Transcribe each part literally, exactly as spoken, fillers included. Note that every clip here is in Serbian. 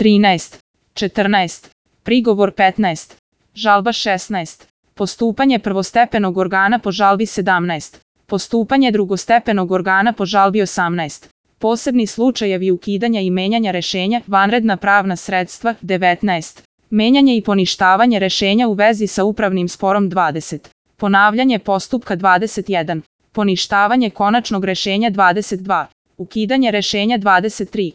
trinaest, četrnaest, prigovor petnaest, žalba šesnaest, postupanje prvostepenog organa po žalbi sedamnaest, postupanje drugostepenog organa po žalbi osamnaest, posebni slučajevi ukidanja i menjanja rešenja, vanredna pravna sredstva devetnaest, menjanje i poništavanje rešenja u vezi sa upravnim sporom dvadeset, ponavljanje postupka dvadeset jedan, poništavanje konačnog rešenja dvadeset dva, ukidanje rešenja dvadeset tri,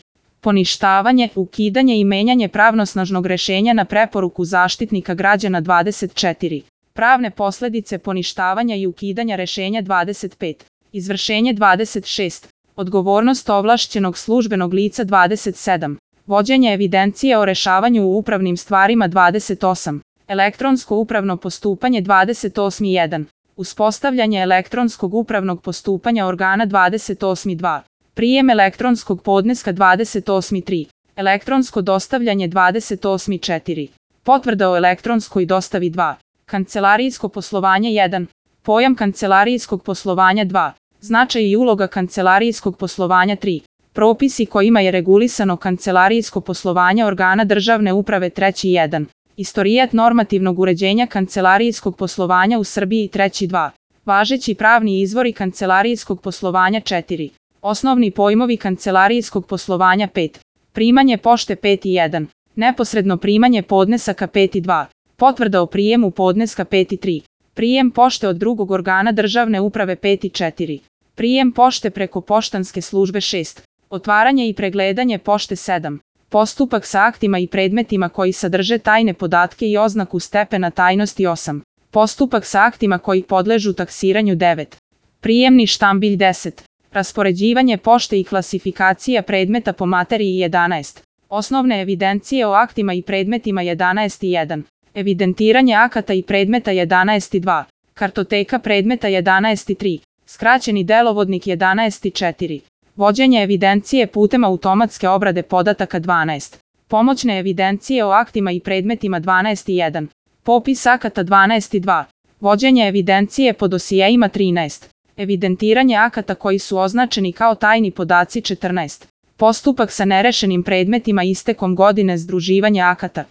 poništavanje, ukidanje i menjanje pravnosnažnog rešenja na preporuku Zaštitnika građana dvadeset četiri, pravne posledice poništavanja i ukidanja rešenja dvadeset pet, izvršenje dvadeset šest, odgovornost ovlašćenog službenog lica dvadeset sedam, vođenje evidencije o rešavanju u upravnim stvarima dvadeset osam, elektronsko upravno postupanje dvadeset osam jedan, uspostavljanje elektronskog upravnog postupanja organa dvadeset osam dva, prijem elektronskog podneska dvadeset osam tri, elektronsko dostavljanje dvadeset osam četiri, potvrda o elektronskoj dostavi dva, kancelarijsko poslovanje jedan, pojam kancelarijskog poslovanja dva, značaj i uloga kancelarijskog poslovanja tri, propisi kojima je regulisano kancelarijsko poslovanje organa državne uprave treći jedan, istorijat normativnog uređenja kancelarijskog poslovanja u Srbiji treći dva, važeći pravni izvori kancelarijskog poslovanja četiri, osnovni pojmovi kancelarijskog poslovanja pet, primanje pošte pet jedan, neposredno primanje podnesaka pet dva, potvrda o prijemu podneska pet tri, prijem pošte od drugog organa državne uprave pet četiri, prijem pošte preko poštanske službe šest, otvaranje i pregledanje pošte sedam, postupak sa aktima i predmetima koji sadrže tajne podatke i oznaku stepena tajnosti osam, postupak sa aktima koji podležu taksiranju devet, prijemni štambilj deset, raspoređivanje pošte i klasifikacija predmeta po materiji jedanaest, osnovne evidencije o aktima i predmetima jedanaest jedan, evidentiranje akata i predmeta jedanaest dva, kartoteka predmeta jedanaest tri, skraćeni delovodnik jedanaest četiri, vođenje evidencije putem automatske obrade podataka dvanaest, pomoćne evidencije o aktima i predmetima dvanaest jedan, popis akata dvanaest dva, vođenje evidencije po dosijeima trinaest, evidentiranje akata koji su označeni kao tajni podaci četrnaest, postupak sa nerešenim predmetima istekom godine združivanja akata,